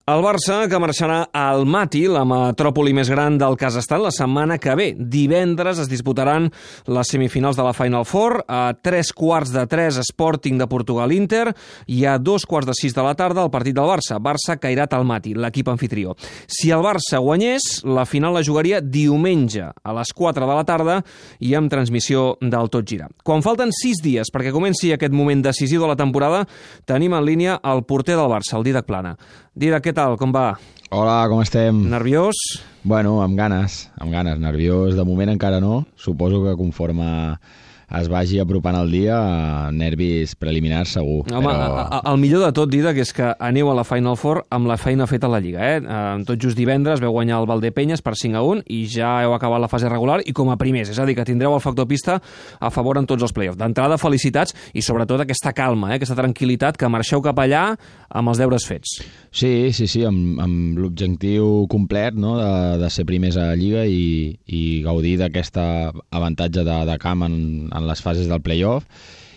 El Barça, que marxarà a Almaty, la metròpoli més gran del Kazakhstan, la setmana que ve. Divendres es disputaran les semifinals de la Final Four. A 3:15 Sporting de Portugal-Inter i a 2:15 de la tarda el partit del Barça. Barça-Kairat Almaty, l'equip anfitrió. Si el Barça guanyés, la final la jugaria diumenge a les 4 de la tarda i amb transmissió del Tot Gira. Quan falten 6 dies perquè comenci aquest moment decisiu de la temporada, tenim en línia el porter del Barça, el Dídac Plana. Dídac, què tal? Com va? Hola, com estem? Nerviós? Bueno, amb ganes, nerviós. De moment encara no. Suposo que conforme es vagi apropant el dia, nervis preliminars segur. Home, però... el millor de tot, Dídac, és que aneu a la Final Four amb la feina feta a la Lliga. Tot just divendres veu guanyar el Valdepeñas per 5-1 i ja heu acabat la fase regular i com a primers, és a dir, que tindreu el factor pista a favor en tots els play-offs. D'entrada, felicitats i sobretot aquesta calma, aquesta tranquil·litat, que marxeu cap allà amb els deures fets. Sí, amb l'objectiu complet, no?, de ser primers a la Lliga i gaudir d'aquest avantatge de camp en les fases del play-off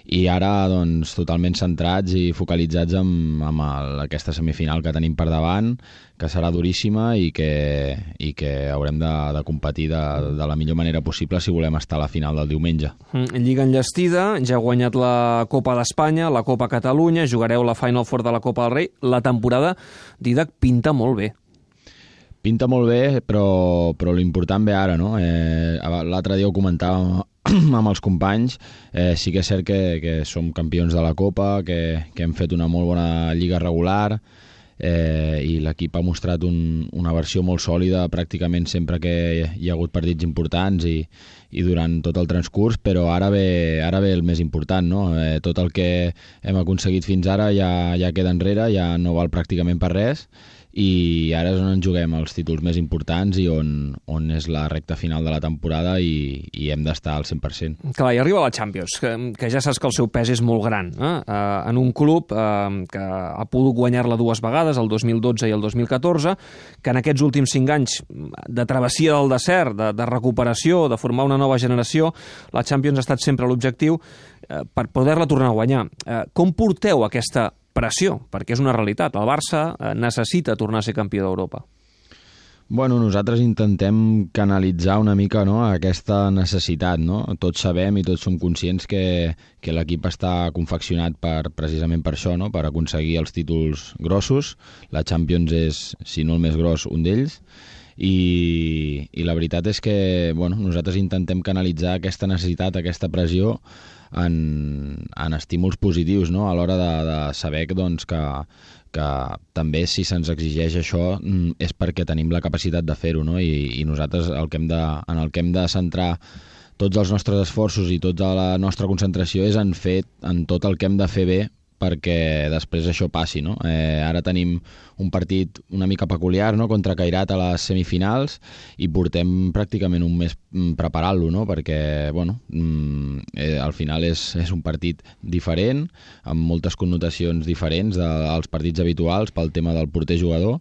i ara doncs totalment centrats i focalitzats amb aquesta semifinal que tenim per davant, que serà duríssima i que haurem de competir de la millor manera possible si volem estar a la final del diumenge. Lliga enllestida, ja ha guanyat la Copa d'Espanya, la Copa Catalunya, jugareu la Final Four de la Copa del Rei. La temporada, Dídac, pinta molt bé. Pinta molt bé, però l'important ve ara, no? L'altre dia ho comentàvem amb els companys, sí que és cert que som campions de la Copa, que hem fet una molt bona lliga regular i l'equip ha mostrat una versió molt sòlida pràcticament sempre que hi ha hagut partits importants i durant tot el transcurs, però ara ve el més important, no? Tot el que hem aconseguit fins ara ja queda enrere, ja no val pràcticament per res i ara és on ens juguem els títols més importants i on és la recta final de la temporada i hem d'estar al 100%. Clar, i arriba la Champions, que ja saps que el seu pes és molt gran, en un club que ha pogut guanyar-la 2 vegades, el 2012 i el 2014, que en aquests últims 5 anys de travessia del desert, de recuperació, de formar una nova generació, la Champions ha estat sempre l'objectiu per poder-la tornar a guanyar. Com porteu aquesta pressió? Perquè és una realitat. El Barça necessita tornar a ser campió d'Europa. Bueno, nosaltres intentem canalitzar una mica, no?, aquesta necessitat, no? Tots sabem i tots som conscients que l'equip està confeccionat precisament per això, no?, per aconseguir els títols grossos. La Champions és, si no el més gros, un d'ells. I la veritat és que nosaltres intentem canalitzar aquesta necessitat, aquesta pressió en estímuls positius, no?, a l'hora de saber que també si se'ns exigeix això és perquè tenim la capacitat de fer-ho, no? I nosaltres en el que hem de centrar tots els nostres esforços i tota la nostra concentració és en tot el que hem de fer bé perquè després això passi, no? Ara tenim un partit una mica peculiar, no?, contra Kairat a les semifinals i portem pràcticament un mes preparant-lo, no?, perquè al final és un partit diferent, amb moltes connotacions diferents dels partits habituals pel tema del porter-jugador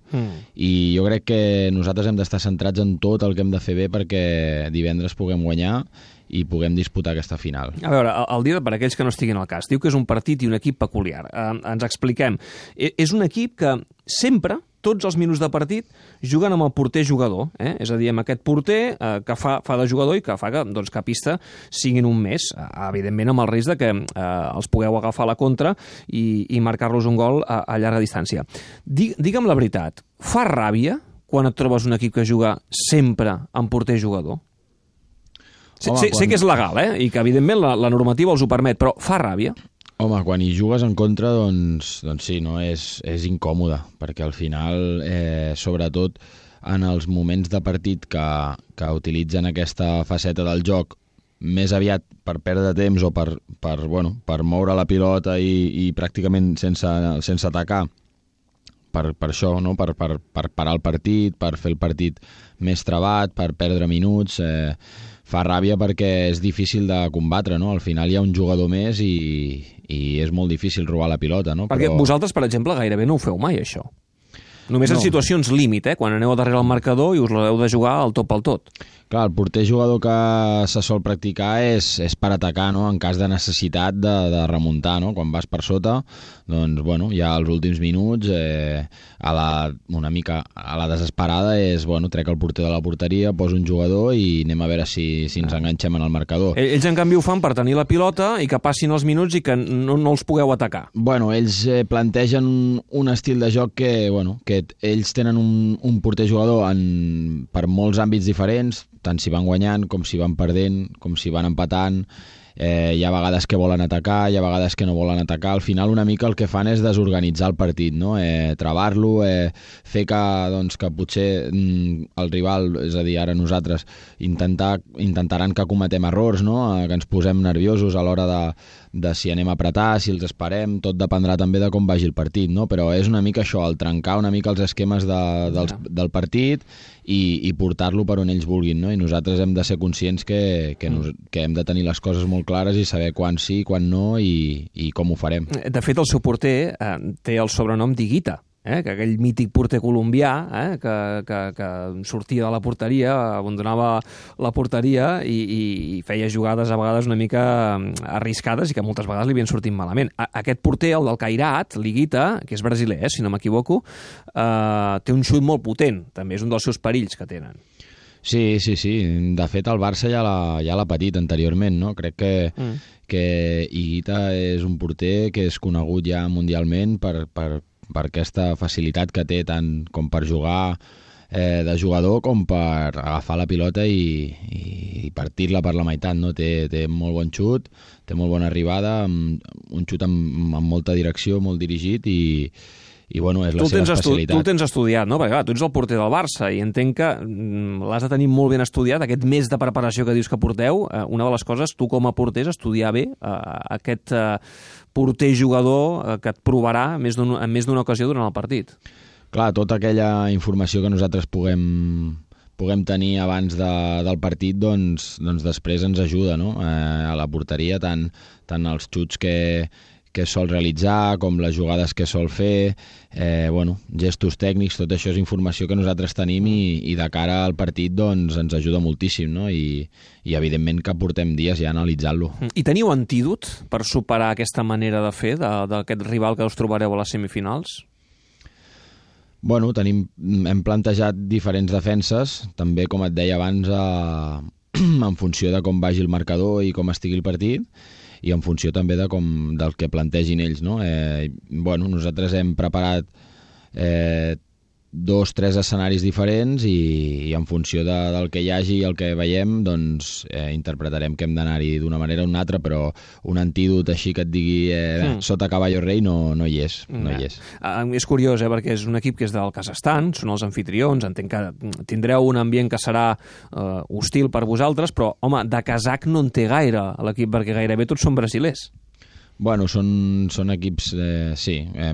i jo crec que nosaltres hem d'estar centrats en tot el que hem de fer bé perquè divendres puguem guanyar i puguem disputar aquesta final. A veure, el Dídac, per aquells que no estiguin al cas, diu que és un partit i un equip peculiar. Ens expliquem. És un equip que sempre, tots els minuts de partit, juguen amb el porter-jugador. És a dir, amb aquest porter que fa de jugador i que fa que a pista siguin un mes, evidentment amb el risc de que els pugueu agafar a la contra i marcar-los un gol a llarga distància. Digue'm la veritat, fa ràbia quan et trobes un equip que juga sempre amb porter-jugador? Sé que és legal, i que evidentment la normativa els ho permet, però fa ràbia? Home, quan hi jugues en contra, doncs sí, no? És incòmode, perquè al final, sobretot en els moments de partit que utilitzen aquesta faceta del joc més aviat per perdre temps o per moure la pilota i pràcticament sense atacar, per això, no?, per parar el partit, per fer el partit més trabat, per perdre minuts, fa ràbia perquè és difícil de combatre, no? Al final hi ha un jugador més i és molt difícil robar la pilota, no? Perquè vosaltres, per exemple, gairebé no ho feu mai, això. Només en situacions límit, quan aneu darrere el marcador i us l'heu de jugar al tot pel tot. Clar, el porter jugador que se sol practicar és per atacar, no? En cas de necessitat de remuntar, no? Quan vas per sota, doncs, bueno, ja als últims minuts, una mica a la desesperada, trec el porter de la porteria, poso un jugador i anem a veure si ens enganxem en el marcador. Ells, en canvi, ho fan per tenir la pilota i que passin els minuts i que no els pugueu atacar. Bueno, ells plantegen un estil de joc que ells tenen un porter jugador per molts àmbits diferents, tant si van guanyant, com si van perdent, com si van empatant. Hi ha vegades que volen atacar, hi ha vegades que no volen atacar. Al final una mica el que fan és desorganitzar el partit, no? Travar-lo, fer que potser el rival, és a dir, ara nosaltres, intentaran que cometem errors, no? Que ens posem nerviosos a l'hora de si anem a apretar, si els esperem, tot dependrà també de com vagi el partit, no? Però és una mica això, el trencar una mica els esquemes del partit i portar-lo per on ells vulguin, no? I nosaltres hem de ser conscients que hem de tenir les coses molt clares i saber quan sí, quan no i com ho farem. De fet, el seu porter té el sobrenom d'Higuita, que aquell mític porter colombià que sortia de la porteria, abandonava la porteria i feia jugades a vegades una mica arriscades i que moltes vegades li havien sortit malament. Aquest porter, el del Cairat, l'Higuita, que és brasiler, si no m'equivoco, té un xut molt potent, també és un dels seus perills que tenen. Sí. De fet, el Barça ja l'ha patit anteriorment, no? Crec que Higuita és un porter que és conegut ja mundialment per aquesta facilitat que té tant com per jugar de jugador com per agafar la pilota i partir-la per la meitat, no? Té molt bon xut, té molt bona arribada, un xut amb molta direcció, molt dirigit i bueno, és la seva especialitat. Tu el tens estudiat, no? Perquè clar, tu ets el porter del Barça i entenc que l'has de tenir molt ben estudiat, aquest mes de preparació que dius que porteu. Una de les coses, tu com a porter, és estudiar bé aquest porter jugador que et provarà en més d'una ocasió durant el partit. Clar, tota aquella informació que nosaltres puguem tenir abans del partit, doncs després ens ajuda, no? A la porteria, tant els xuts que sol realitzar, com les jugades que sol fer, gestos tècnics, tot això és informació que nosaltres tenim i de cara al partit doncs ens ajuda moltíssim, no? I evidentment que portem dies ja analitzant-lo. I teniu antídot per superar aquesta manera de fer d'aquest rival que us trobareu a les semifinals? Bueno, hem plantejat diferents defenses, també, com et deia abans, en funció de com vagi el marcador i com estigui el partit, i en funció també del que plantegin ells, no? Nosaltres hem preparat 2-3 escenaris diferents i en funció del que hi hagi i el que veiem, doncs interpretarem que hem d'anar-hi d'una manera o d'una altra, però un antídot així que et digui sota caballo rei no hi és. És curiós, perquè és un equip que és del Kazakhstan, són els anfitrions, entenc que tindreu un ambient que serà hostil per vosaltres, però, home, de kazakh no en té gaire l'equip, perquè gairebé tots són brasilers. Bueno, són equips,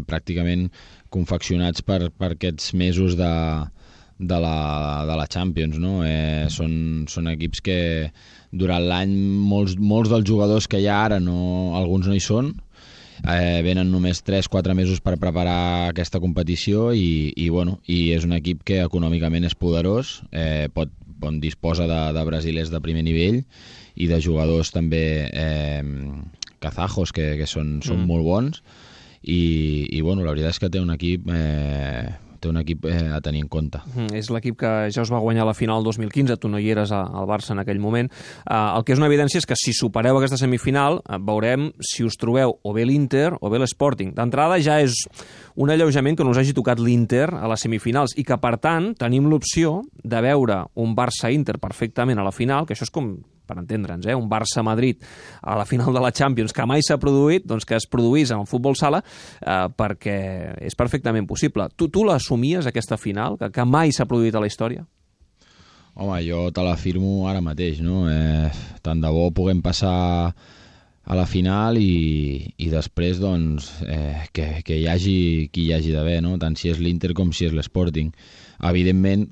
pràcticament confeccionats per aquests mesos de la Champions, no? Són equips que durant l'any molts dels jugadors que hi ha ara, alguns no hi són, venen només 3-4 mesos per preparar aquesta competició i és un equip que econòmicament és poderós, disposa de brasilers de primer nivell i de jugadors també kazajos que són molt bons i la veritat és que té un equip a tenir en compte. És l'equip que ja us va guanyar la final 2015, tu no hi eres al Barça en aquell moment. El que és una evidència és que si supereu aquesta semifinal veurem si us trobeu o bé l'Inter o bé l'Sporting. D'entrada ja és un alleujament que no us hagi tocat l'Inter a les semifinals i que per tant tenim l'opció de veure un Barça-Inter perfectament a la final, que això és com, per entendre'ns, un Barça-Madrid a la final de la Champions que mai s'ha produït, doncs que es produís en el futbol sala, perquè és perfectament possible. Tu l'assumies, aquesta final, que mai s'ha produït a la història? Home, jo te l'afirmo ara mateix, no? Tant de bo puguem passar a la final i després doncs, que hi hagi qui hi hagi d'haver, no? Tant si és l'Inter com si és l'Sporting. Evidentment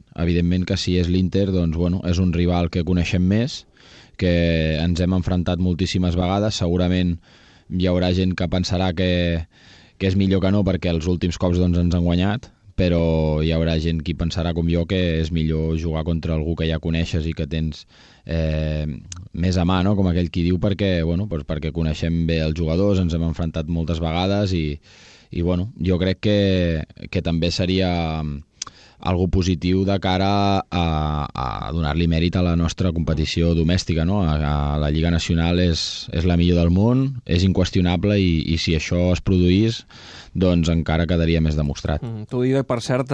que si és l'Inter, doncs, és un rival que coneixem més, que ens hem enfrontat moltíssimes vegades. Segurament hi haurà gent que pensarà que és millor que no perquè els últims cops doncs, ens han guanyat, però hi haurà gent qui pensarà com jo que és millor jugar contra algú que ja coneixes i que tens més a mà, no? Com aquell qui diu, perquè coneixem bé els jugadors, ens hem enfrontat moltes vegades i jo crec que també seria algo positiu de cara a donar-li mèrit a la nostra competició domèstica, no? La Lliga Nacional és la millor del món, és inqüestionable i si això es produís, doncs encara quedaria més demostrat. Tu, Dídac, per cert,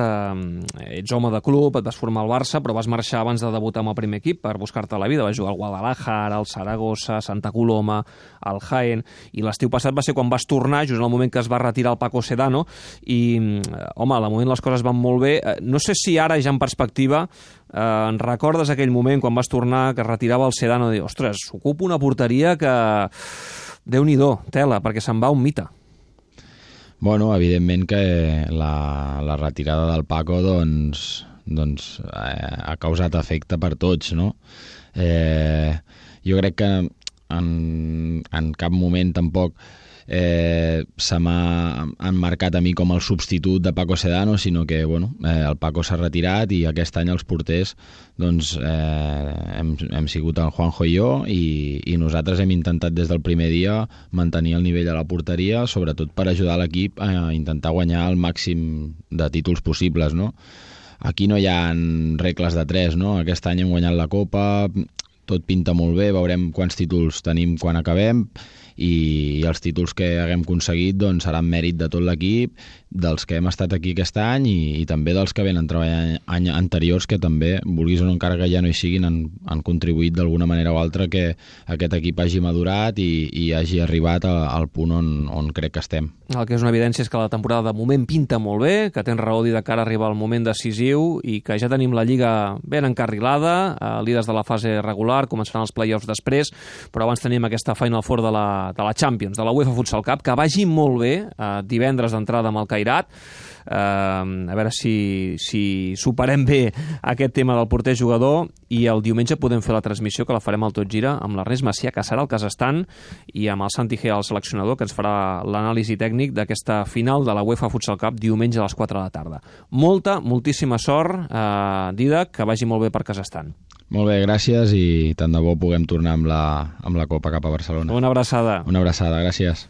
ets home de club, et vas formar al Barça, però vas marxar abans de debutar amb el primer equip per buscar-te la vida. Vas jugar al Guadalajara, al Saragossa, Santa Coloma, al Jaén, i l'estiu passat va ser quan vas tornar, just en el moment que es va retirar el Paco Sedano, i, home, al moment les coses van molt bé. No sé si ara, ja en perspectiva, en recordes aquell moment quan vas tornar, que es retirava el Sedano, i dir, ostres, ocupo una porteria que... Déu-n'hi-do, tela, perquè se'n va un mite. Bueno, evidentment que la retirada del Paco doncs ha causat efecte per tots, no? Jo crec que en cap moment tampoc se m'ha emmarcat a mi com el substitut de Paco Sedano, sinó que el Paco s'ha retirat i aquest any els porters doncs, hem sigut el Juanjo i jo i nosaltres hem intentat des del primer dia mantenir el nivell a la porteria, sobretot per ajudar l'equip a intentar guanyar el màxim de títols possibles, no? Aquí no hi ha regles de tres, no? Aquest any hem guanyat la Copa, tot pinta molt bé, veurem quants títols tenim quan acabem i els títols que haguem aconseguit doncs, seran mèrit de tot l'equip, dels que hem estat aquí aquest any i també dels que venen treballant anys anteriors que també, vulguis o no, encara que ja no hi siguin, han contribuït d'alguna manera o altra que aquest equip hagi madurat i hagi arribat al punt on crec que estem. El que és una evidència és que la temporada de moment pinta molt bé, que tens raó de cara a arribar al moment decisiu i que ja tenim la Lliga ben encarrilada, líders de la fase regular, començaran els play-offs després, però abans tenim aquesta Final Four de la Champions, de la UEFA Futsal Cup, que vagi molt bé, divendres d'entrada amb el Cairat, a veure si superem bé aquest tema del porter jugador i el diumenge podem fer la transmissió que la farem al Tot Gira amb l'Ernest Macià, que serà al Kazakhstan, i amb el Santi Gea, el seleccionador, que ens farà l'anàlisi tècnic d'aquesta final de la UEFA Futsal Cup diumenge a les 4 de la tarda. Moltíssima sort, Dídac, que vagi molt bé per Kazakhstan. Molt bé, gràcies i tant de bo puguem tornar amb la Copa cap a Barcelona. Una abraçada. Una abraçada, gràcies.